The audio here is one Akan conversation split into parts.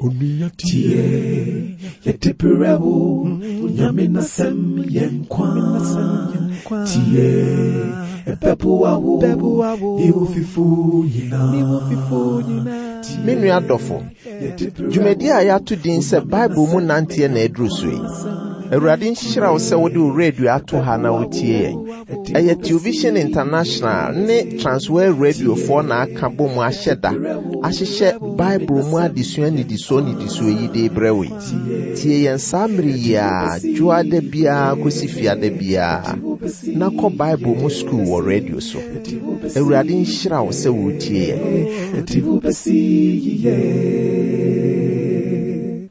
Tie, yɛde berɛ wo, Nyame n'asɛm yɛ nkwa. Tie, ɛbɛboa wo, ne wo fifo nyinaa. Me nua dɔfo, dwumadi a yɛato din sɛ Bible mu nanteɛ na aduru so yi. Awurade nhyira wo sɛ wode wo radio ato ha na wotie yɛn. Ɛyɛ Television International ne Transworld Radiofoɔ na aka bɔ mu ahyɛ da ahyehyɛ Bible mu adesua nnidisoɔ nnidisoɔ yi de rebrɛ wo yi. Tie yɛn saa mmere yi ara, dwoada biara kɔsi fiada biara, na kɔ Bible mu sukuu wɔ radio so. Awurade nhyira wo sɛ woretie yɛn.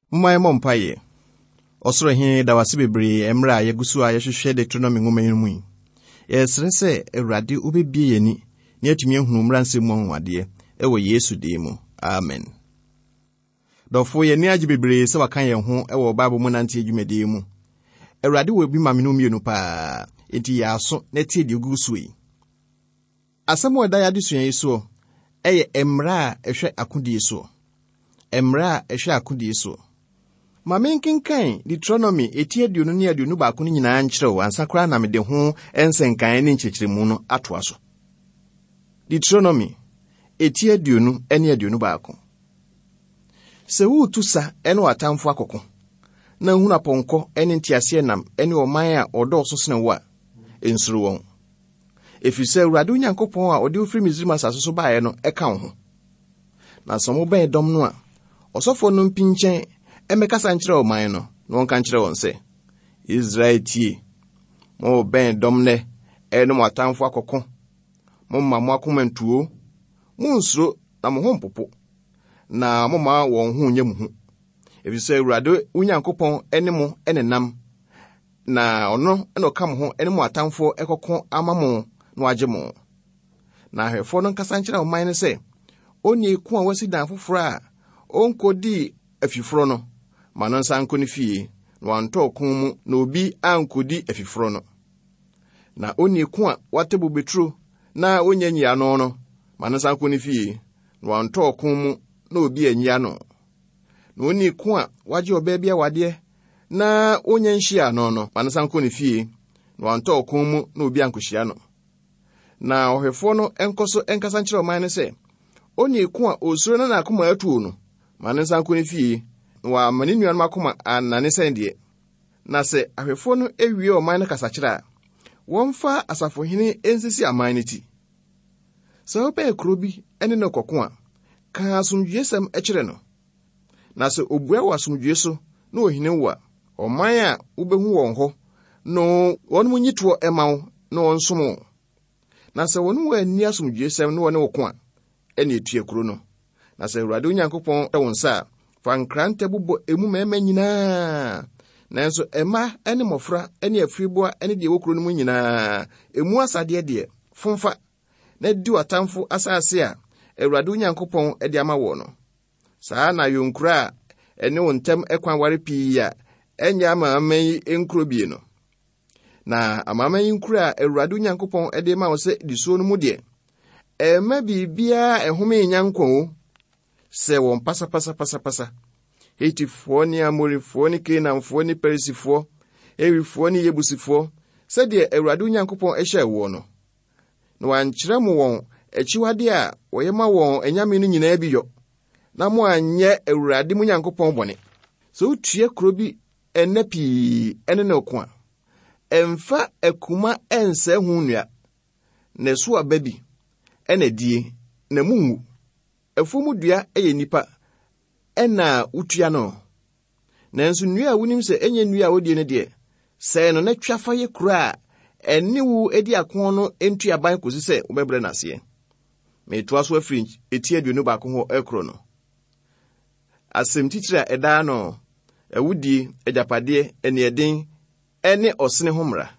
Momma yɛmmɔ mpaeɛ. Ɔsoro Hene, yɛda wo ase bebree mmerɛ a yɛgu so a yɛhwehwɛ Deuteronomy nwoma yi mu yi. Yɛsrɛ sɛ Awurade wobɛbie yɛn ani na yɛatumi ahunu mmara nsɛm mu anwanwadeɛ ɛwɔ Yesu din mu. Amen. Dɔfo, yɛn ani agye bebree sɛ waka yɛn ho wɔ Bible mu nanteɛ dwumadie yi mu. Awurade wɔ bi ma me no mmienu paa, enti yɛ aso na tie deɛ ogu soɔ yi. Asɛm a ɛda yɛn adesua yi soɔ yɛ mmara a ɛhwɛ akodie soɔ. Mmara a ɛhwɛ akodie soɔ. Ma menkenkan Deuteronomy eti aduonu ne aduonu baako no nyinaa nkyerɛ wo ansa koraa na mede ho nsɛnkaeɛ ne nkyerɛkyerɛmu no atoa so. Deuteronomy eti aduonu ne aduonu baako. Sɛ woretu sa ne w'atamfo akɔko, na wohunu apɔnkɔ ne nteaseɛnam ne ɔman a ɔdɔɔso sene wo a, nsuro wɔn. Ɛfiri sɛ Awurade wo Nyankopɔn a ɔde wo firi Misraim asase so baeɛ no ka wo ho. Na sɛ mobɛn dɔm no a, ɔsɔfoɔ no mpinkyɛn mmɛkasa nkyerɛ ɔman no, na ɔnka nkyerɛ wɔn sɛ, Israel tie, mobɛn dɔm nnɛ ɛne mo atamfo akɔko. Momma mo akoma ntuo, monnsuro na mo ho mpopo, na momma wɔn ho nyɛ mo hu, ɛfiri sɛ Awurade wo Nyankopɔn ne mo nenam Na ɔno na ɔka mo ho ne mo atamfoɔ kɔko ama mo na wagye mo. Na ahwɛfoɔ no nkasa nkyerɛ ɔman no sɛ, onii ko a wasi dan foforɔ a ɔnkɔdii afiforɔ no, ma no nsan nkɔ ne fie, na wantɔ ɔko mu na obi ankɔdi afiforɔ no. Na onii ko a wate bobeturo na ɔnnya nyi ano no, ma no nsan nkɔ ne fie, na wantɔ ɔko mu na obi anyi ano. Na onii ko a wagye ɔbaa bi awadeɛ na onnya nhyiaa no no, ma no nsan nkɔ ne fie, na wantɔ ɔko mu na obi ankohyia no. Na ɔhwɛfoɔ no nkɔ so nkasa nkyerɛ ɔman no sɛ, onii ko a osuro na n'akoma atuo no, ma no nsan nkɔ ne fie, na wamma ne nuanom akoma annane sɛn deɛ. Na sɛ ahwɛfoɔ no wie ɔman no kasakyerɛ a, wɔmfa asafohene nsisi aman no ti. Sɛ wobɛn kuro bi ne no kɔko a, ka asomdwoesɛm kyerɛ no. Na sɛ obua wo asomdwoe so na ohini wo a, ɔman a wubehu wɔn hɔ no wɔn nyi toɔ mma wo na wɔnsom wo. Na sɛ wɔne wo anni asomdwoesɛm na wɔne wo ko a, ɛnneɛ tua kuro no. Na sɛ Awurade wo Nyankopɔn hyɛ wo nsa a, fa nkrantɛ bobɔ emu mmarima nyinaa. Nanso mma ne mmɔfra ne afieboa ne deɛ ɛwɔ kuro no mu nyinaa, emu asadeɛ deɛ, fomfa. na di w'atamfo asase a Awurade wo Nyankopɔn de ama woɔ no. Saa na yɔ nkuro a ɛne wo ntam kwan ware pii a ɛnyɛ amanaman yi nkuro bie no. Na amanaman yi nkuro a Awurade wo Nyankopɔn de ma wo sɛ di soɔ no mu deɛ, ɛmma biribiara ɛhome nnya nkwa o, sɛ wɔn pasapasapasapasa. Hetifoɔ ne Amorifoɔ ne Kanaanfoɔ ne Perisifoɔ, Hewifoɔ ne Yebusifoɔ, sɛdeɛ Awurade wo Nyankopɔn hyɛɛ woɔ no. Na wankyerɛ mo wɔn akyiwadeɛ a wɔyɛ ma wɔn anyame no nyinaa bi yɔ, na moanyɛ Awurade mo Nyankopɔn bɔne. Sɛ wotua kuro bi nna pii ne no ko a, ɛmfa akuma nsɛe ho nnua, na ɛso aba bi na die, na munwu. Afuo mu dua yɛ nnipa na wotua no. Nanso nnua a wonim sɛ ɛnyɛ nnua a wodie no deɛ, sɛe no na twa fa yɛ kuro a ɛne wo di ako no ntuaban kɔsi sɛ wobɛbrɛ no aseɛ. Metoa so afiri eti aduonu baako hɔ rekorɔ no. Asɛm titiri a ɛdaa no, awudie, agyapadeɛ, aniɛden, ne ɔsene ho mmara.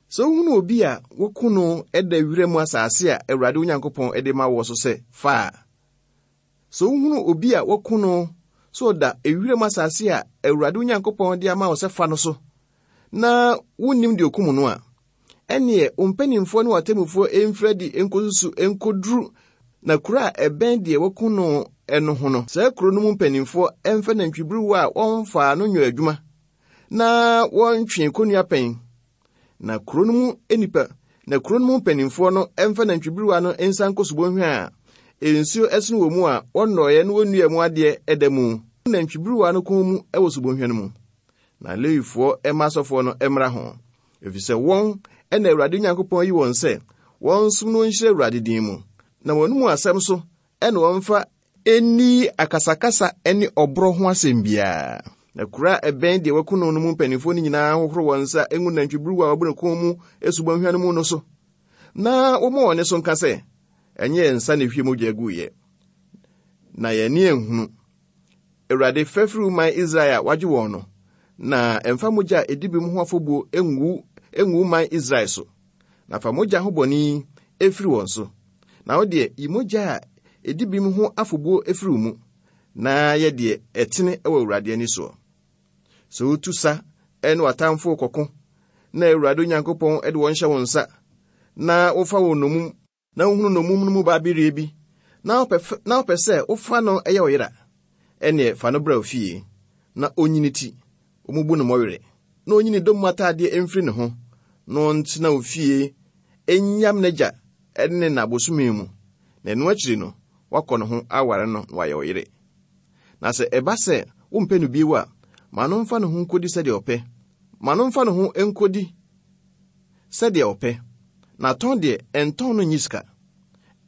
Sɛ wohunu obi a wɔku no da wiram asase a Awurade wo Nyankopɔn de ma woɔ so sɛ fa a, Sɛ wohunu obi a wɔaku no sɛ ɔda wiram asase a Awurade wo Nyankopɔn de ama wo sɛ fa no so, na wonnim deɛ okum no a, ɛnneɛ wo mpanimfoɔ ne w'atemmufoɔ mfiri adi nkɔsusu nkɔduru na kuro a ɛbɛn deɛ wɔaku no no ho no, saa kuro no mu mpanimfoɔ mfa nantwiburuwa a wɔmfaa no nyɔɔ adwuma na wɔntwee kɔnnua pɛn, na kuro no mu nnipa na kuro no mu mpanimfoɔ no mfa nantwiburuwa no nsa nkɔ subonhwa a nsuo ɛsono wɔ mu a wɔnnɔeɛ na wɔnnua mu adeɛ da mu nantwiburuwa no kɔn mu wɔ subonhwa no mu. Na Lewifoɔ mma asɔfoɔ no mmra ho, ɛfiri sɛ wɔn na Awurade Nyankopɔn ayi wɔn sɛ wɔnsom no nhyira Awurade din mu, na wɔn mu asɛm so na wɔmfa nni akasakasa ne ɔborɔ ho asɛm biara. Na kuro a ɛbɛn deɛ wɔaku no no mu mpanimfoɔ no nyinaa nhohoro wɔn nsa ngu nantwiburuwa a wɔabu ne kɔn mu asubɔnhwa no mu no so, na wɔmmɔ wɔn nne so nka sɛ, Ɛnyɛ yɛn nsa na ehwie mogya guiɛ, na yɛn ani anhunu. Awurade, fa firi wo man Israel a woagye wɔn no, na mfa mogya a edi bem ho afɔbuo ngu ngu wo man Israel so, na fa mogya ho bɔne yi firi wɔn so. Na wo deɛ, yi mogya a edi bem ho afɔbuo firi wo mu, na yɛ deɛ ɛtene wɔ Awurade ani soɔ. Sɛ wotu sa ne w'atamfo rekɔko, na Awurade Onyankopɔn de wɔn hyɛ wo nsa, na wofa wɔn nnommum, na wohunu nnommum no mu baabereɛ bi, na wopɛ na wopɛ sɛ wofa no yɛ wo yera, ɛnneɛ fa no bra wo fie, na ɔnyi ne ti, ɔmmubu no mmɔwerɛ, na ɔnyi ne dɔm mu ataadeɛ mfiri ne ho, na ɔntena wo fie nnyam n'agya ne ne na bosome mu, na ɛno akyiri no, woakɔ ne ho aware no na wayɛ wo yere. Na sɛ ɛba sɛ wompɛ no bio a, ma no mfa ne ho nkɔdi sɛdeɛ ɔpɛ, ma no mfa ne ho nkɔdi sɛdeɛ ɔpɛ, na tɔn deɛ, ɛntɔn no nnye sika.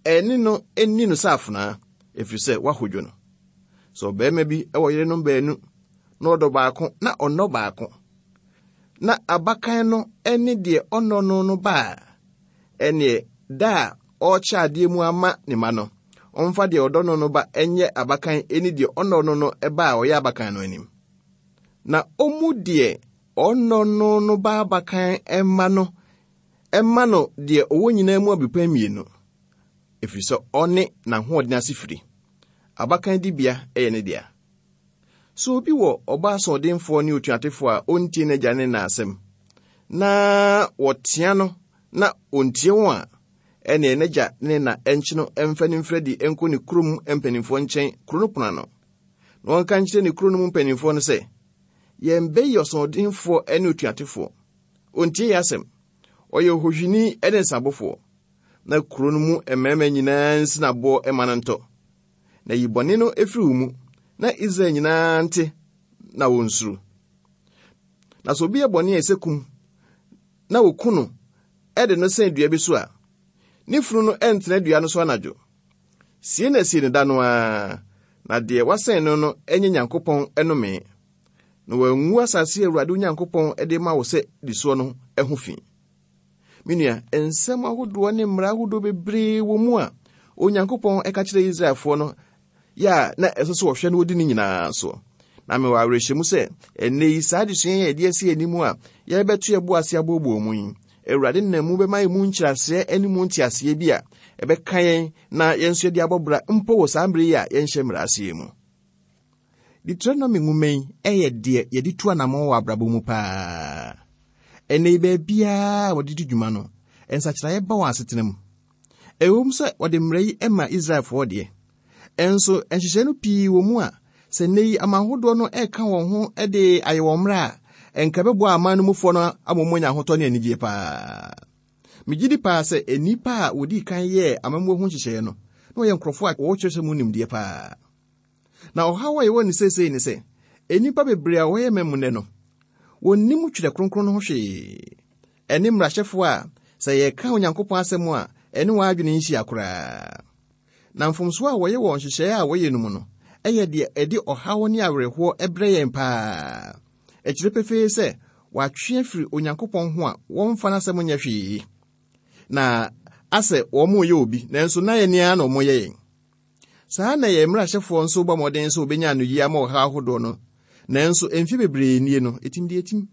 Ɛne no nni no sɛ afenaa, ɛfiri sɛ woahodwo no. Sɛ ɔbarima bi wɔ yerenom baanu, na ɔdɔ baako na ɔnnɔ baako, na abakan no ne deɛ ɔnnɔ no no ba a, ɛnneɛ da a ɔrekyɛ adeɛ mu ama ne mma no, ɔmfa deɛ ɔdɔ no no ba nyɛ abakan ɛni deɛ ɔnnɔ no no ba a ɔyɛ abakan no anim. Na ɔmmu deɛ Ɔnnɔ no no ba abakan mma no mma no deɛ ɔwɔ nyinaa mu abupɛn mmienu, ɛfiri sɛ ɔne n'ahoɔden ase firi. Abakan dibea yɛ ne dea. Sɛ obi wɔ ɔba asoɔdenfoɔ ne otuatefoɔ a ɔntie n'agya ne na asɛm, na wɔtea no na ɔntie wɔn a, ɛnneɛ n'agya ne ne na nkye no mfa no mfiri adi nkɔ ne kurom mpanimfoɔ nkyɛn kuro no pono ano, na wɔnka nkyerɛ ne kuro no mu mpanimfoɔ no sɛ, Yɛn bɛ yi ɔsoɔdenfoɔ ne otuatefoɔ. Ɔntie yɛn asɛm. Ɔyɛ ohohwini ne nsabofoɔ. Na kuro no mu mmarima nyinaa nsi no aboɔ mma no ntɔ. Na yi bɔne no firi wo mu, na Israel nyinaa nte na wɔnsuro. Na sɛ obi yɛ bɔne a ɛsɛ kum, na wɔku no de no sɛn dua bi so a, ne funu no ntena dua no so anadwo. Sie na sie no da no ara, na deɛ wɔasɛn no no nyɛ Nyankopɔn nnome, na wangu asase a Awurade wo Nyankopɔn de ma wo sɛ di soɔ no ho fi. Me nua, nsɛm ahodoɔ ne mmara ahodoɔ bebree wɔ mu a Onyankopɔn ka kyerɛ Israelfoɔ no yɛ a na ɛsɛ sɛ wɔhwɛ na wɔdi ne nyinaa soɔ. Na mewɔ awerɛhyɛmu sɛ ɛnnɛ yi saa adesua yi a yɛde asi anim a yɛrebɛto yɛn bo ase abooboo mu yi, Awurade nam mu bɛma yɛn mu nkyerɛaseɛ ne mu nteaseɛ bi a ɛbɛka yɛn na yɛn nso yɛde abɔ bra mpo wɔ saa mmerɛ yi a yɛnhyɛ mmara aseɛ mu. Deuteronomy nwoma yi yɛ deɛ yɛde tu anammɔn wɔ abrabɔ mu paa. Ɛnnɛ yi baabiara a wɔde di dwuma no, nsakyeraeɛ ba wɔn asetena mu. Ɛwom sɛ wɔde mmara yi ma Israelfoɔ deɛ, nso nhyehyɛe no pii wɔ mu a sɛ nnɛ yi aman hodoɔ no reka wɔn ho de ayɛ wɔn mmara a, ɛnka ɛbɛboa aman no mufoɔ no ama wɔanya ahotɔ ne anigyeɛ paa. Megye di paa sɛ nnipa a wɔdii kan yɛɛ amammuo ho nhyehyɛeɛ no, na wɔyɛ nkurɔfoɔ a wɔwɔ kyerɛwsɛm mu nimdeɛ paa. Na ɔhaw a yɛwɔ no seesei ne sɛ, nnipa bebree a wɔyɛ mmamu nnɛ no, wɔnnim Twerɛ Kronkron no ho hwee. Ɛne mmarahyɛfoɔ a sɛ yɛreka Onyankopɔn asɛm a, ɛne wɔn adwene nhyia koraa. Na mfomsoɔ a wɔyɛ wɔ nhyehyɛeɛ a wɔyɛ no mu no yɛ deɛ ɛde ɔhaw ne awerɛhoɔ brɛ yɛn paa. Ɛkyerɛ pefee sɛ wɔatwe afiri Onyankopɔn ho a wɔmfa n'asɛm nyɛ hwee. Na asɛ wɔreyɛ obi, nanso na yɛn ara na wɔreyɛ yɛn. Saa na yɛn mmarahyɛfoɔ nso bɔ mmɔden sɛ wɔbɛnya anoyie ama ɔhaw ahodoɔ no, nanso mfe bebree nie no, ɛtim deɛ ɛtim.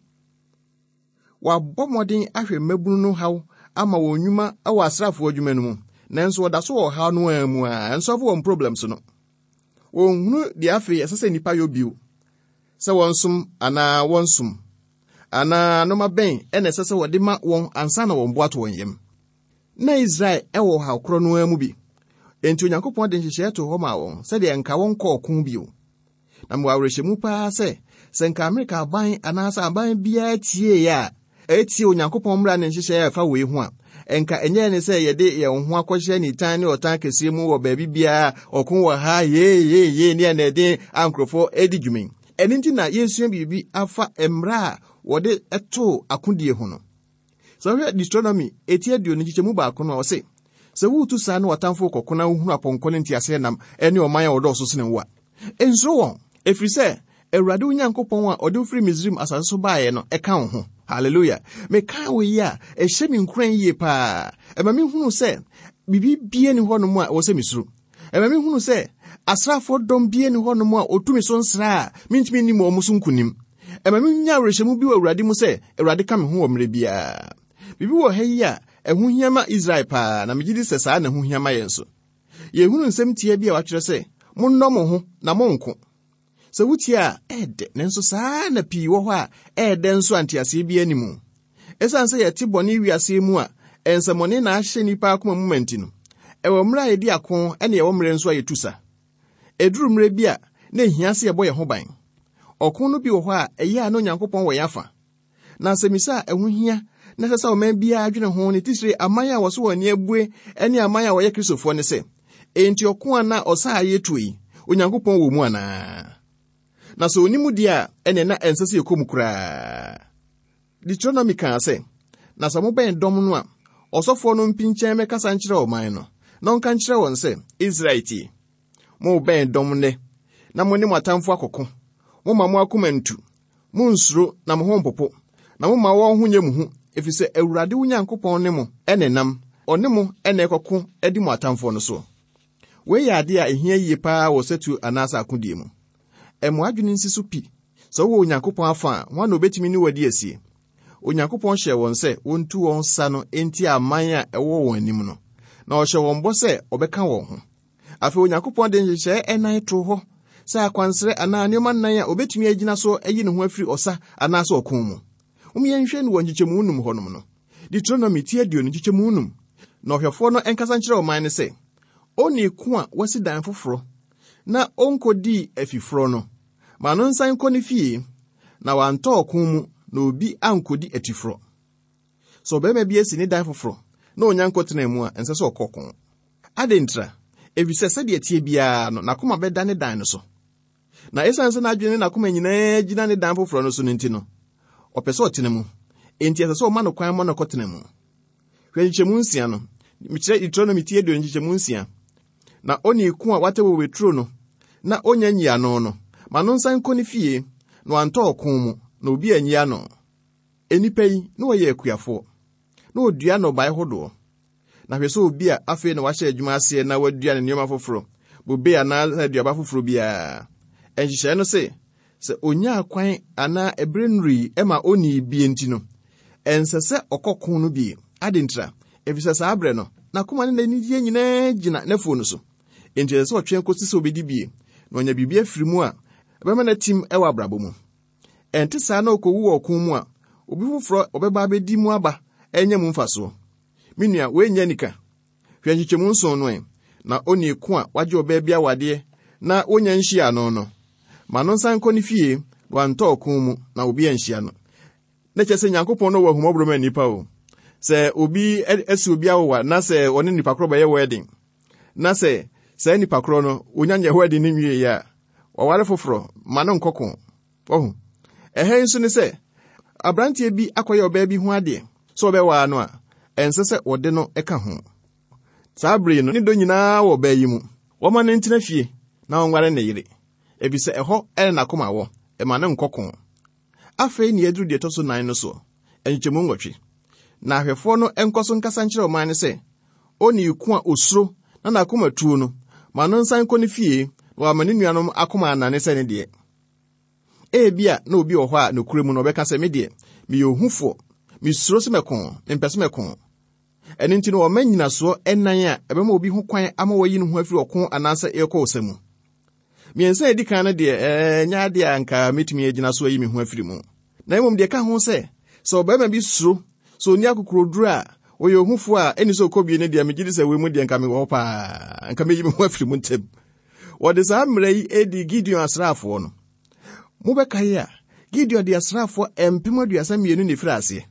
Wɔabɔ mmɔden ahwɛ mmabunu no haw ama wɔn nnwuma wɔ asraafoɔ adwuma no mu, nanso wɔda so wɔ ɔhaw no ara mu a ɛnsɔlve wɔn problems no. Wɔnhunu deɛ afei ɛsɛ sɛ nnipa yɔ bio, sɛ wɔnsom anaa wɔnsom, anaa nnoɔma bɛn na ɛsɛ sɛ wɔde ma wɔn ansa na wɔn bo ato wɔn yam. Na Israel wɔ ɔhaw korɔ no ara mu bi. Enti Onyankopɔn de nhyehyɛe too hɔ maa wɔn sɛdeɛ nka wɔnkɔ ɔko bio. Na mewɔ awerɛhyɛmu paa sɛ, sɛ nka Amerika aban anaasɛ aban biara tieeɛ a, ɛtie Onyankopɔn mmara ne nhyehyɛe a ɛfa wei ho a, ɛnka ɛnyɛɛ ne sɛ yɛde yɛn ho akɔhyɛ nitan ne ɔtan kɛseɛ mu wɔ baabi biara, ɔko wɔ ha, yee, yee, yee, ne ɛnɛden a nkurɔfoɔ redi dwuma yi. Ɛno nti na yɛresua biribi afa mmara a wɔde too akodie ho no. Sɛ wohwɛ Deuteronomy eti 20 nkyekyɛmu 1 no a, ɔse, sɛ woretu saa ne w'atamfo rekɔko na wohunu apɔnkɔ ne nteaseɛnam ne ɔman a wɔdɔɔso sene wo a, nsuro wɔn, ɛfiri sɛ Awurade wo Nyankopɔn a ɔde wo firi Misraim asase so baeɛ no ka wo ho. Hallelujah. Mekaa wei yi a, ɛhyɛ me nkuran yie paa. Ɛma mehunu sɛ biribi bia ni hɔnom a ɛwɔ sɛ mesuro. Ɛma mehunu sɛ asraafoɔ dɔm bia ni hɔnom a ɔtu me so nsra a mentumi nni wɔn so nkonim. Ɛma menya awerɛhyɛmu bi wɔ Awurade mu sɛ Awurade ka me ho wɔ mmerɛ biara. Biribi wɔ ha yi a ɛho hia ma Israel paa, na megye di sɛ saa na ɛho hia ma yɛn nso. Yɛhunu nsɛm tia bi a wɔatwerɛ sɛ, Monnɔ mo ho na monnko. Sɛ wotie a, ɛyɛ dɛ, nanso saa ara na pii wɔ hɔ a ɛyɛ dɛ nso a nteaseɛ biara nni mu. Esiane sɛ yɛte bɔne wiase yi mu a nsɛmmɔne na ahyɛ nnipa akoma mu ma nti no, ɛwɔ mmerɛ a yɛdi ako ne ɛwɔ mmerɛ nso a yɛtu sa. Ɛduru mmerɛ bi a na ɛhia sɛ yɛbɔ yɛn ho ban. Ɔko no bi wɔ hɔ a ɛyɛ a na Onyankopɔn wɔ yɛn afa. Na asɛmmisa a ɛho hia na ɛsɛ sɛ ɔman biara dwene ho, ne titire aman a wɔso wɔn ani abue ne aman a wɔyɛ Kristofoɔ ne sɛ, enti ɔko a na ɔsa a yɛtuo yi, Onyankopɔn wɔ mu anaa? Na sɛ ɔnni mu deɛ a, ɛneɛ na ɛnsɛ sɛ yɛkɔ mu koraa. Deuteronomy kaa sɛ, Na sɛ mobɛn dɔm no a, ɔsɔfoɔ no mpinkyɛn mmɛkasa nkyerɛ ɔman no, na ɔnka nkyerɛ wɔn sɛ, Israel tie, morebɛn dɔm nnɛ, na mo ne mo atamfo akɔko. Momma mo akoma ntu, Munnsuro na mo ho mmpopo, na momma wɔn ho nyɛ mo hu, efisɛ Awurade wo Nyankopɔn ne mo na ɛnam, ɔne mo na ɛrekɔko adi mo atamfoɔ no soɔ. Wei yɛ adeɛ a ɛhia yie paa wɔ ɔsatuo anaasɛ akodie mu. Ɛmma w'adwene nsi so pi sɛ wowɔ Onyankopɔn afa a, hwan na obetumi ne wo adi asie? Onyankopɔn hyɛɛ wɔn sɛ wontu wɔn sa no ntia aman a ɛwɔ wɔn anim no, na ɔhyɛɛ wɔn bɔ sɛ ɔbɛka wɔn ho. Afei Onyankopɔn de nhyehyɛe nnan too hɔ sɛ akwansrɛ anaa nneɛma nnan a obetumi agyina so ayi ne ho afiri ɔsa anaasɛ ɔko mu. Mom yɛnhwɛ no wɔ nkyekyɛmu num hɔnom no. Deuteronomy ti 20 nkyekyɛmu num. Na ɔhwɛfoɔ no nkasa nkyerɛ ɔman no sɛ, Onii ko a wasi dan foforɔ na ɔnkɔdii afiforɔ no, ma no nsan nkɔ ne fie, na wantɔ ɔko mu na obi ankɔdi atiforɔ. Sɛ ɔbarima bi asi ne dan foforɔ na ɔnya nkɔtenaa mu a, ɛnsɛ sɛ ɔkɔ ɔko. Adɛn ntira? Efisɛ sɛdeɛ ɛteɛ biara no, n'akoma bɛda ne dan no so. Na esiane sɛ n'adwene ne n'akoma nyinaa gyina ne dan foforɔ no so no nti no, ɔpɛ sɛ ɔtena mu. Enti ɛsɛ sɛ ɔma no kwan ma no kɔtena mu. Hwɛ nkyekyɛmu nsia no. Mekyerɛ Deuteronomy ti 20 nkyekyɛmu nsia. Na onii ko a watɛ bobe turo no na onnya nyi ano no, ma no nsan nkɔ ne fie, na wantɔ ɔko mu, na obi anyi ano. Nnipa yi, na wɔyɛ akuafoɔ, na wɔdua nnɔbaeɛ hodoɔ. Na hwɛ sɛ obi a afei na wahyɛ adwuma aseɛ na wadua ne nneɛma foforɔ, bobe anaasɛ aduaba foforɔ biara. Nhyehyɛe no se, sɛ onyaa kwan anaa ɛberɛ nnurui ma onnii bie nti no, ɛnsɛ sɛ ɔkɔ ko no bie. Adɛn ntira? Efisɛ saa berɛ no, n'akoma ne n'anigyeɛ nyinaa gyina n'afuo no so. Enti ɛsɛ sɛ ɔtwɛn kɔsi sɛ ɔbɛdi bie na wanya biribi afiri mu a ɛbɛma no atim wɔ abrabɔ mu. Ɛnte saa na ɔkɔwu wɔ ɔko mu a, obi foforɔ ɔbɛba abɛdi mu aba anya mu mfasoɔ. Me nua, wei nyɛ anika. Hwɛ nkyekyɛmu nson no ɛ. Na onii ko a wagye ɔbaa bi awadeɛ na wonya nhyiaa no no, ma no nsan nkɔ ne fie na wantɔ ɔko mu na obi anhyia no. Na kyerɛ sɛ Nyankopɔn no wɔ ahummɔborɔ ma nnipa o. Sɛ obi asi obi awowa na sɛ ɔne nipa korɔ bɛyɛ wedding, na sɛ saa nipa korɔ no wonya nyɛ wedding no nwieeɛ a, waware foforɔ, ma no nkɔ ko. Wahu? Ɛha yi nso ne sɛ, aberanteɛ bi akɔyɛ ɔbaa bi ho adeɛ sɛ ɔbɛwaa no a, ɛnsɛ sɛ wɔde no ka ho. Saa bere yi no, ne dɔ nyinaa wɔ ɔbaa yi mu. Wɔma no ntena fie na ɔnware ne yere, efisɛ ɛhɔ na n'akoma wɔ, mma no nkɔ ko. Afei ne yɛaduru deɛ ɛtɔ so nan no soɔ, nkyekyɛmu nwɔtwe. Na ahwɛfoɔ no nkɔ so nkasa nkyerɛ ɔman no sɛ, Onii ko a osuro na n'akoma tuo no, ma no nsan nkɔ ne fie na wama ne nuanom akoma anane sɛ ne deɛ. Ebia na obi wɔ hɔ a nokorɛ mu no ɔbɛka sɛ, Me deɛ, meyɛ ohufoɔ, mesuro sɛ mɛko, mempɛ sɛ mɛko. Ɛno nti no wɔma nnyinasoɔ nnan a ɛbɛma obi ho kwan ama wayi ne ho afiri ɔko anaasɛ ɛrekɔ ɔsa mu. Mmiɛnsa a ɛdi kan no deɛ, ɛnyɛ adeɛ a anka mɛtumi agyina so ayi me ho afiri mu. Na mmom deɛ ɛka ho sɛ, sɛ ɔbarima bi suro sɛ ɔnni akokoɔduro a Ɔyɛ ohufoɔ a ɛnni sɛ ɔkɔ bie no deɛ, megye di sɛ wei mu deɛ nka mewɔ hɔ paa, nka mɛyi me ho afiri mu ntɛm. Wɔde saa mmara yi di Gideon asraafoɔ no. Mobɛkae a, Gideon de asraafoɔ 32,000 na ɛfiri aseɛ.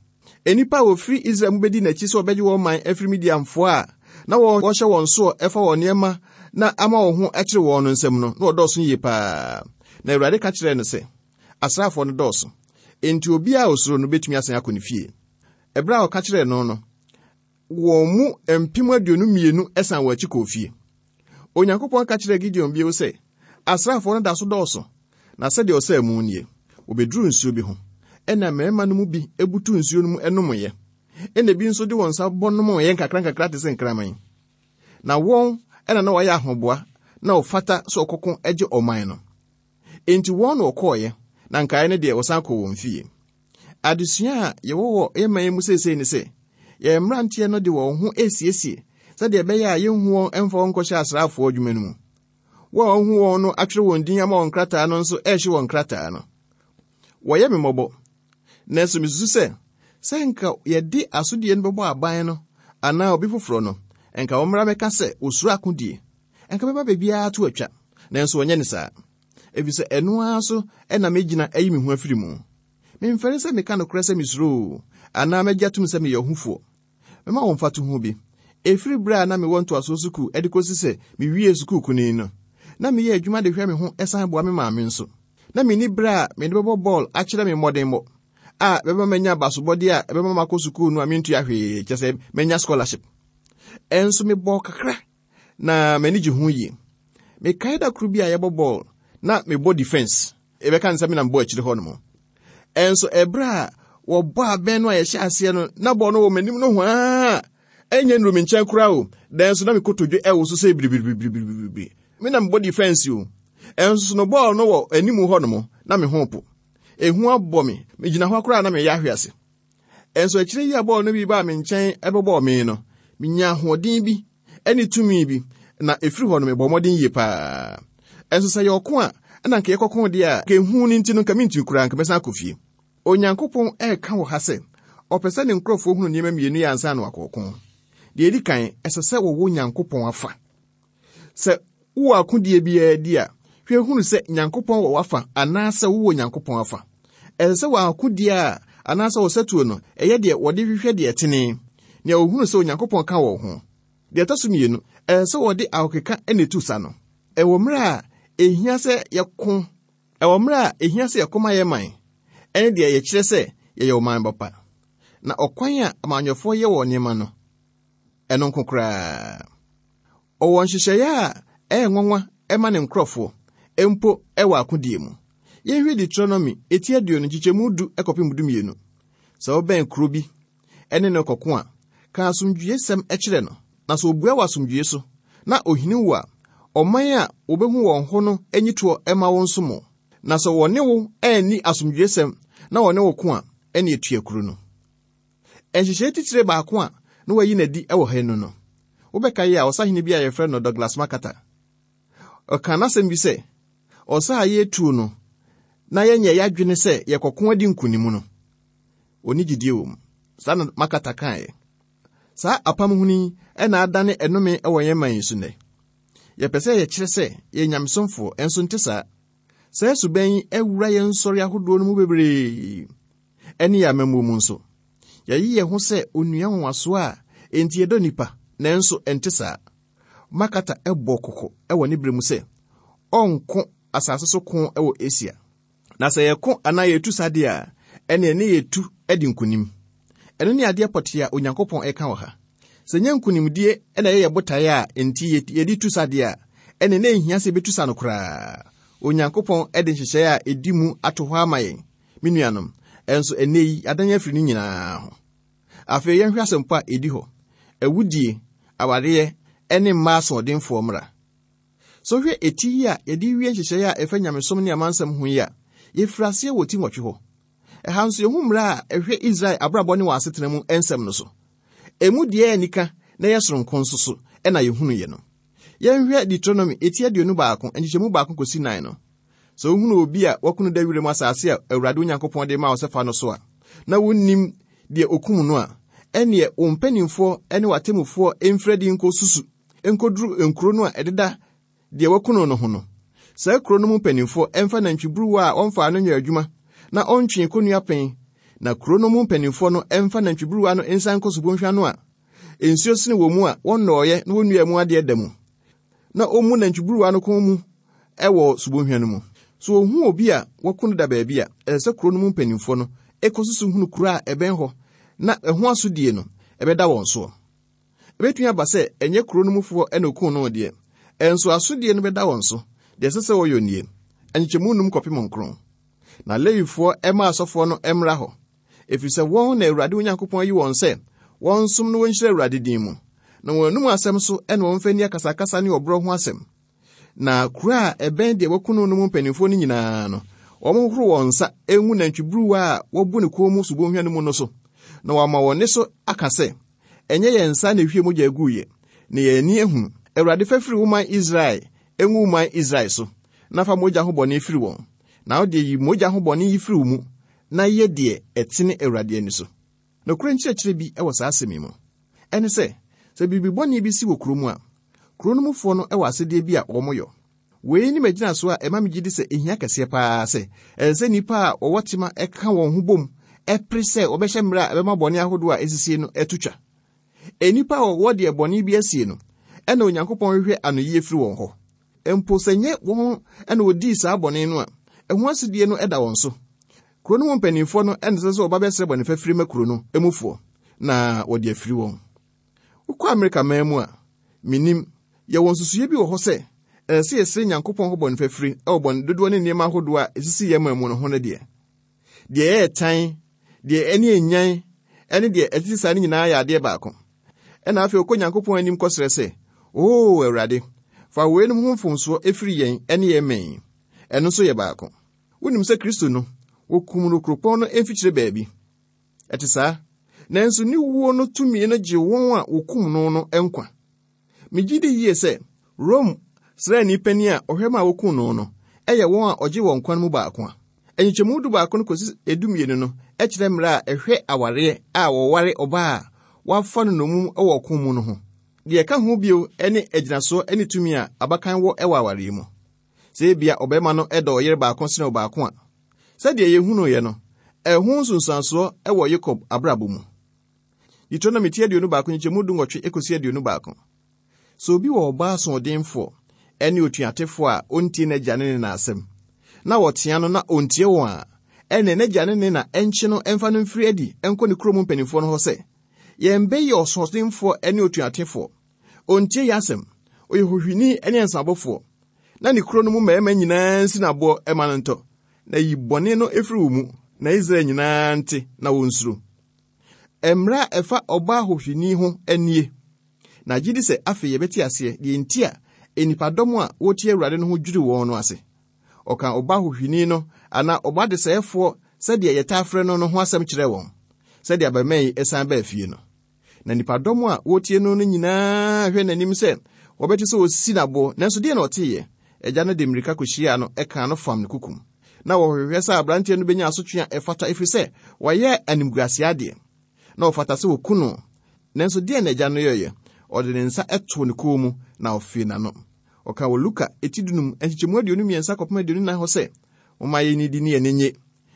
Nnipa a wɔfiri Israel mu bɛdi n'akyi sɛ wɔbɛgye wɔn man afiri Midianfoɔ a na wɔhyɛ wɔn soɔ ɛfa wɔn nneɛma na ama wɔn ho akyere wɔn no nsam no, na wɔdɔɔso yie paa. Na Awurade ka kyerɛɛ no sɛ, Asraafoɔ no dɔɔso, enti obiara a ɔsuro no bɛtumi asan akɔ ne fie. Ɛberɛ a ɔka kyerɛɛ no no, wɔn mu 22,000 san wɔn akyi kɔɔ fie. Onyankopɔn ka kyerɛɛ Gideon bio sɛ, Asraafoɔ no da so dɔɔso, na sɛdeɛ ɔsaa mu nie. Wɔbɛduruu nsuo bi ho, ɛnna mmarima no mu bi butuu nsuo no mu nomeeɛ, ɛnna ebi nso de wɔn nsa bɔ nomeeɛ nkakrankakra te sɛ nkraman. Na wɔn na na wɔayɛ ahoboa na wɔfata sɛ wɔkɔko gye ɔman no. Enti wɔn na wɔkɔeɛ, na nkaeɛ no deɛ wɔsan kɔɔ wɔn fie. Adesua a yɛwɔ wɔ yɛn man yi mu seesei ne sɛ, yɛn mmeranteɛ no de wɔn ho resiesie sɛdeɛ ɛbɛyɛ a yɛnhu wɔn mfa wɔn nkɔhyɛ asraafoɔ adwuma no mu. Wɔn a wɔhu wɔn no atwerɛ wɔn din ama wɔn nkrataa no nso rehye wɔn nkrataa no. Wɔyɛ me mmɔbɔ. Nanso mesusu sɛ, sɛ anka yɛde asodie no bɛbɔ aban no anaa obi foforɔ no, anka wɔmmra mmɛka sɛ wɔsuro akodie. Anka bɛba baabiara to atwa. Nanso wɔnyɛ no saa. Efisɛ ɛno ara so na megyina ayi me ho afiri mu. Memfɛre sɛ meka nokorɛ sɛ mesuro oo, anaa mɛgye atom sɛ meyɛ ɔhufoɔ. Mɛma wo mfatoho bi. Ɛfiri berɛ a na mewɔ ntoasoɔ sukuu de kɔsi sɛ mewiee sukuu kunini no, na meyɛ adwuma de hwɛ me ho san boa me maame nso. Na menni berɛ a mede bɛbɔ bɔɔl akyerɛ me mmɔdenbɔ a ɛbɛma manya abasobɔdeɛ a ɛbɛma makɔ sukuu no a mentua hwee, kyerɛ sɛ manya scholarship. Ɛnso mebɔɔ kakra na m'ani gye ho yie. Mekae da koro bi a yɛbɔ bɔɔl na mebɔ defense. Yɛbɛka no sɛ me na mebɔ akyire hɔ nom. Ɛnso ɛberɛ a wɔbɔ abɛn no a yɛhyɛ aseɛ no, na bɔɔl no wɔ m'anim no hwaa. Ɛnyɛ nnuru me nkyɛn koraa o. Nanso na me kotodwe ɛwo so sɛ biribiribiribiribiri. Me na mebɔ defense o. Ɛnso no bɔɔl no wɔ anim hɔ nom na me ho po. Ehu abɔ me. Megyina hɔ koraa na meyɛ ahwe ase. Ɛnso akyire yi a bɔɔl no bi baa me nkyɛn ɛbɛbɔɔ me no, menyaa ahoɔden bi ne tumi bi, na ɛfiri hɔ no mebɔɔ mmɔden yie paa. Ɛnso sɛ yɛ ɔko a, ɛna nka yɛkɔko deɛ a, nka ehu no nti no nka mentumi koraa, nka mɛsan akɔ fie. Onyankopɔn reka wɔ ha sɛ, ɔpɛ sɛ ne nkurɔfoɔ hunu nneɛma mmienu yi ansa na wɔakɔ ɔko. Deɛ ɛdi kan, ɛsɛ sɛ wɔwɔ Nyankopɔn afa. Sɛ wowɔ akodie biara di a, hwɛ hunu sɛ Nyankopɔn wɔ w'afa anaasɛ wowɔ Nyankopɔn afa. Ɛsɛ sɛ wɔ akodie a anaasɛ ɔsatuo no, ɛyɛ deɛ wɔde hwehwɛ deɛ ɛtene, nea wɔhunu sɛ Onyankopɔn ka wɔn ho. Deɛ ɛtɔ so mmienu, ɛsɛ sɛ wɔde ahokeka na ɛtu sa no. Ɛwɔ mmerɛ a ɛhia sɛ yɛko, ɛwɔ mmerɛ a ɛhia sɛ yɛko ma yɛn man, ɛne deɛ yɛkyerɛ sɛ yɛyɛ ɔman ba pa. Na ɔkwan a amanyɔfoɔ yɛ wɔn nneɛma no, ɛno nko koraa. Ɔwɔ nhyehyɛeɛ a ɛyɛ nwanwa ma ne nkurɔfoɔ, mpo wɔ akodie mu. Yɛnhwɛ Deuteronomy eti 20 nkyekyɛmu 10 kɔpem 12. Sɛ wobɛn kuro bi ne no kɔko a, ka asomdwoeɛsɛm kyerɛ no, na sɛ ɔbua wɔ asomdwoeɛ so, na ɔhini wo a, ɔman a wɔbɛhu wɔn hɔ no nyi toɔ mma wo nsom wo. Na sɛ wɔne wo anni asomdwoeɛsɛm na wɔne wo ko a, ɛnneɛ tua kuro no. Nhyehyɛe titire baako a na wɔayi no adi wɔ ha no no, wobɛkae a ɔsahene bi a yɛfrɛ no Douglas MacArthur. Ɔkaa n'asɛm bi sɛ, Ɔsa a yɛretuo no na yɛnyɛ yɛadwene sɛ yɛkɔko adi nkonim no, ɔnni gyidie wɔ mu. Saa na MacArthur kaeɛ. Saa apam hunu yi na adane ɛnome wɔ yɛn man yi so nnɛ. Yɛpɛ sɛ yɛkyerɛ sɛ yɛyɛ nyamesomfoɔ, ɛnso nte saa. Saa suban yi awura yɛn nsɔre ahodoɔ no mu bebree. Ɛne yɛn amammuo mu nso. Yɛayi yɛn ho sɛ onua nwanwasoɔ a enti yɛdɔ nnipa, nanso ɛnte saa. MacArthur bɔɔ kɔkɔ wɔ ne berɛ mu sɛ ɔrenko asase so ko wɔ Asia. Na sɛ yɛko anaa yɛtu sa deɛ a, ɛnneɛ ne yɛtu adi nkonim. Ɛno ne adeɛ pɔtee a Onyankopɔn reka wɔ ha. Sɛ ɛnyɛ nkonimdie na ɛyɛ yɛn botaeɛ a enti yɛde tu sa deɛ a, ɛnneɛ na ɛnhia sɛ yɛbɛtu sa no koraa. Onyankopɔn de nhyehyɛeɛ a ɛdi mu ato hɔ ama yɛn. Me nuanom, ɛnso ɛnnɛ yi yɛadan afiri ne nyinaa ho. Afei yɛnhwɛ asɛmpa a ɛdi hɔ, awudie, awareɛ, ne mmaa asoɔdenfoɔ mmara. Sɛ wohwɛ eti yi a yɛde wie nhyehyɛeɛ a ɛfa nyamesom ne amansɛm ho yi a, yɛfiri aseɛ wɔ ti nwɔtwe hɔ. Ɛha nso yɛhu mmara a ɛhwɛ Israel abrabɔ ne wɔn asetena mu nsɛm no so. Emu deɛ ɛyɛ anika na ɛyɛ soronko nso so na yɛhunuiɛ no. Yɛnhwɛ Deuteronomy eti 21, nkyekyɛmu baako kɔsi nan no. Sɛ wohunu obi a waku no da wiram asase a Awurade wo Nyankopɔn de rema wo sɛ fa no so a, na wonnim deɛ okum no a, ɛnneɛ wo mpanimfoɔ ne w'atemmufoɔ mfiri adi nkɔsusu nkɔduru nkuro no a ɛdeda deɛ wɔaku no no ho no. Saa kuro no mu mpanimfoɔ mfa nantwiburuwa a wɔmfaa no nyɛɛ adwuma na ɔntwee kɔnnua pɛn, na kuro no mu mpanimfoɔ no mfa nantwiburuwa no nsan nkɔ subonhwa no a nsuo sene wɔ mu a wɔnnɔeɛ na wɔnnuaa mu adeɛ da mu, na ɔmmu nantwiburuwa no kɔn mu wɔ subonhwa no mu. So wɔhu obi a wɔaku no da baabi a, ɛsɛ sɛ kuro no mu mpanimfoɔ no kɔsusu hunu kuro a ɛbɛn hɔ na ɛho asodie no ɛbɛda wɔn soɔ. Ebetumi aba sɛ ɛnyɛ kuro no mufoɔ na okum no deɛ, ɛnso asodie no bɛda wɔn so. Deɛ ɛsɛ sɛ wɔyɔ nie, nkyekyɛmu num kɔpem nkron. Na Lewifoɔ mma asɔfoɔ no mmra hɔ, ɛfiri sɛ wɔn na Awurade wo Nyankopɔn ayi wɔn sɛ wɔnsom na wɔnhyira Awurade din mu. Na wɔn anom asɛm so na wɔmfa nni akasakasa ne ɔborɔ ho asɛm. Na kuro a ɛbɛn deɛ wɔaku no no mu mpanimfoɔ no nyinaa no, wɔnhohoro wɔn nsa ngu nantwiburuwa a wɔabu ne kɔn mu subonhwa no mu no so, na wɔama wɔn nne so aka sɛ, Ɛnyɛ yɛn nsa na ehwie mogya guiɛ, na yɛn ani ahunu. Awurade, fa firi wo man Israel ngu wo man Israel so, na fa mogya ho bɔne firi wɔn. Na wo deɛ, yi mogya ho bɔne yi firi wo mu, na yɛ deɛ ɛtene Awurade ani so. Nokorɛ nkyerɛkyerɛ bi wɔ saa asɛm yi mu. Ɛne sɛ, sɛ biribi bɔne bi si wɔ kuro mu a, kuro no mufoɔ no wɔ asɛdeɛ bi a wɔyɔ. Wei ne m'agyinasoɔ a ɛma megye di sɛ ɛhia kɛseɛ pa ara sɛ ɛsɛ sɛ nnipa a wɔwɔ tema ka wɔn ho bom pere sɛ wɔbɛhyɛ mmara a ɛbɛma bɔne ahodoɔ a ɛsisie no to twa. Nnipa a wɔwɔ deɛ bɔne bi asie no na Onyankopɔn hwehwɛ anoyie firi wɔn hɔ. Mpo sɛ nyɛ wɔn na wɔdii saa bɔne no a, ɛho asodie no da wɔn so. Kuro no mu mpanimfoɔ no na ɛsɛ sɛ wɔba bɛsrɛ bɔne fafiri ma kuro no mufoɔ na wɔde afiri wɔn. Wokɔ Amerika man mu a, minnim, yɛwɔ nsusuiɛ bi wɔ hɔ sɛ ɛsɛ sɛ yɛsrɛ Nyankopɔn hɔ bɔne fafiri wɔ bɔne dodoɔ ne nneɛma ahodoɔ a ɛsisi yɛn man mu no ho no deɛ. Deɛ ɛyɛ tan, deɛ ɛne ɛnyan, ɛne deɛ ɛtete saa no nyinaa yɛ adeɛ baako. Ɛna afei wokɔ Nyankopɔn anim kɔsrɛ sɛ, Oo Awurade, fa weinom ho mfomsoɔ firi yɛn ne yɛn man yi. Ɛno nso yɛ baako. Wonim sɛ Kristo no, wɔkum no kuropɔn no mfikyire baabi. Ɛte saa. Nanso ne wuo no tumi no gye wɔn a wɔkum no no nkwa. Megye di yie sɛ Rome sraani panin a ɔhwɛ ma wɔkum no no yɛ wɔn a ɔgye wɔn nkwa no mu baako a. Nkyekyɛmu dubaako no kɔsi edumienu no kyerɛ mmara a ɛhwɛ awareɛ a wɔware ɔbaa a wɔafa no nnommum wɔ ɔko mu no ho. Deɛ ɛka ho bio ne agyinasoɔ ne tumi a abakan wɔ wɔ awareɛ mu. Sɛ ebia ɔbarima no dɔ ɔyere baako sene ɔbaako a, sɛdeɛ yɛhunuiɛ no, ɛho nsunsuansoɔ wɔ Yakob abrabɔ mu. Deuteronomy ti 21 nkyɛmu 18 kɔsi 21. Sɛ obi wɔ ɔba asoɔdenfoɔ ne otuatefoɔ a ɔntie n'agya ne ne na asɛm, na wɔtea no na ɔntie wɔn a, ɛnneɛ n'agya ne ne na nkye no mfa no mfiri adi nkɔ ne kurom mpanimfoɔ no hɔ sɛ, Yɛn ba yi yɛ ɔsoɔdenfoɔ ne otuatefoɔ. Ɔntie yɛn asɛm. Ɔyɛ hohwini ne nsabɔfoɔ. Na ne kuro no mu mmarima nyinaa nsi no aboɔ ma no ntɔ. Na yi bɔne no firi wo mu, na Israel nyinaa nte na wɔnsuro. Mmara a ɛfa ɔbaa hohwini ho nie. Na gye di sɛ afei yɛbɛte aseɛ deɛ nti a nnipadɔm a wɔretie Awurade no ho dwiriw wɔn no ase. Ɔkaa ɔbaa hohwini no anaa ɔbaa desɛefoɔ sɛdeɛ yɛtaa frɛ no no ho asɛm kyerɛɛ wɔn, sɛdeɛ abarimaa yi san baa fie no. Na nnipadɔm a wɔretie no no nyinaa hwɛ n'anim sɛ wɔbɛte sɛ ɔresi no aboɔ, nanso deɛ na ɔteeɛ? Agya no de mmirika kɔhyiaa no kaa no fam ne kokom. Na wɔhwehwɛ sɛ aberanteɛ no bɛnya asotwe a ɛfata ɛfiri sɛ wayɛ animguaseɛ adeɛ. Na ɔfata sɛ wɔku no. Nanso deɛn na agya no yɛeɛ? Ɔde ne nsa too ne kɔn mu na ɔfee n'ano. Ɔkaa wɔ Luka eti dunum nkyekyɛmu 23 kɔpem 24 hɔ sɛ, Momma yɛnnidi ne yɛn ani nnye.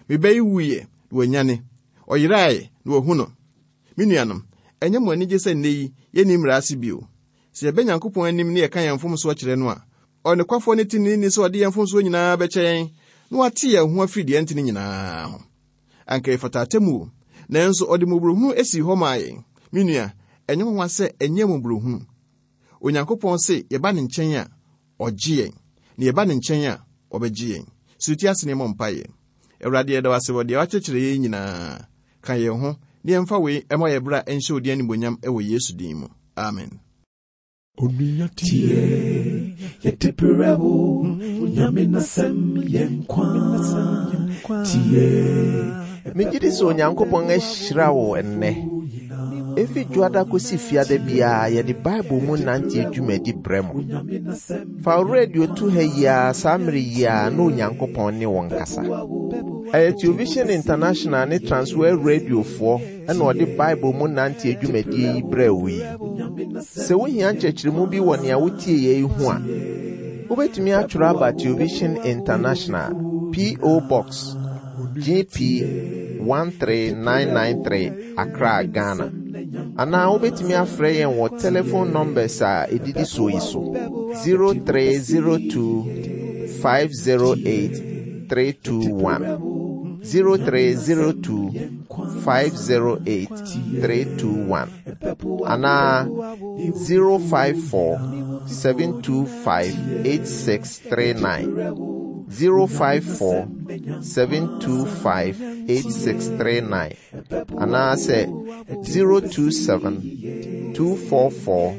Me ba yi wuiɛ na wanyane. Ɔyeraeɛ na wɔahu no. Me nuanom, ɛnyɛ mo anigye sɛ nnɛ yi yenni mmara ase bio? Sɛ yɛba Nyankopɔn anim na yɛka yɛn mfomsoɔ kyerɛ no a, ɔyɛ nokwafoɔ ne teneneeni sɛ ɔde yɛn mfomsoɔ nyinaa bɛkyɛ yɛn na wate yɛn ho afiri deɛ ɛntene nyinaa ho. Anka yɛfata atemmuo, nanso ɔde mmɔborɔhunu sii hɔ maa yɛn. Me nua, ɛnyɛ nwanwa sɛ ɛnyɛ mmɔborɔhunu. Onyankopɔn se yɛba ne nkyɛn a, ɔgye yɛn, na yɛba ne nkyɛn a, ɔbɛgye yɛn. So ti ase na yɛmmɔ mpaeɛ. Awurade, yɛda wo ase wɔ deɛ woakyerɛkyerɛ yɛn nyinaa. Ka yɛn ho, na yɛmfa wei mmɔ yɛn bra nhyɛ wo din animuonyam wɔ Yesu din mu. Amen. Onua tie, yɛde brɛ wo, Onyame n'asɛm yɛ nkwa. Tie. Megye di sɛ Onyankopɔn ahyira wo ɛnnɛ. Efi dwoada kosi fiada biara yɛde Bible mu nante dwumadi brɛ mo. Fa wo radio to ha yi ara saa mmere yi ara na Onyankopɔn ne wo nkasa. Ɛyɛ Television International ne Transworld Radiofoɔ ɛna ɔde Bible mu nante dwumadie yi brɛ wo yi. Sɛ wohia nkyerɛkyerɛmu bi wɔ nea wotie yɛ yi ho a, wobɛtumi atwerɛ aba Television International, P.O. Box, GP 13993, Accra, Ghana. Anaa wobɛtumi afrɛ yɛn wɔ telephone numbers a ɛdidi soɔ yi so: 0302 508 321, 0302 508 321, anaa 054 725 8639, 054 725 8639, anaasɛ 027 244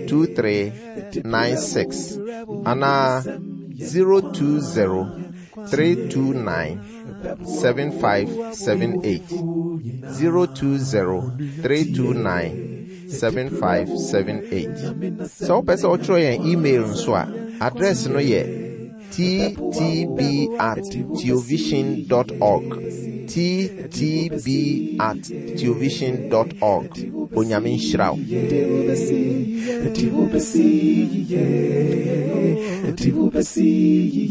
2396, anaa 020 329 7578, 020 329 7578. Sɛ wopɛ sɛ wotwerɛ yɛn email nso a, address no yɛ ttb@theovision.org, ttb@theovision.org. Onyame nhyira wo. Ɛde wo bɛsi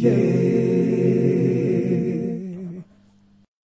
yie.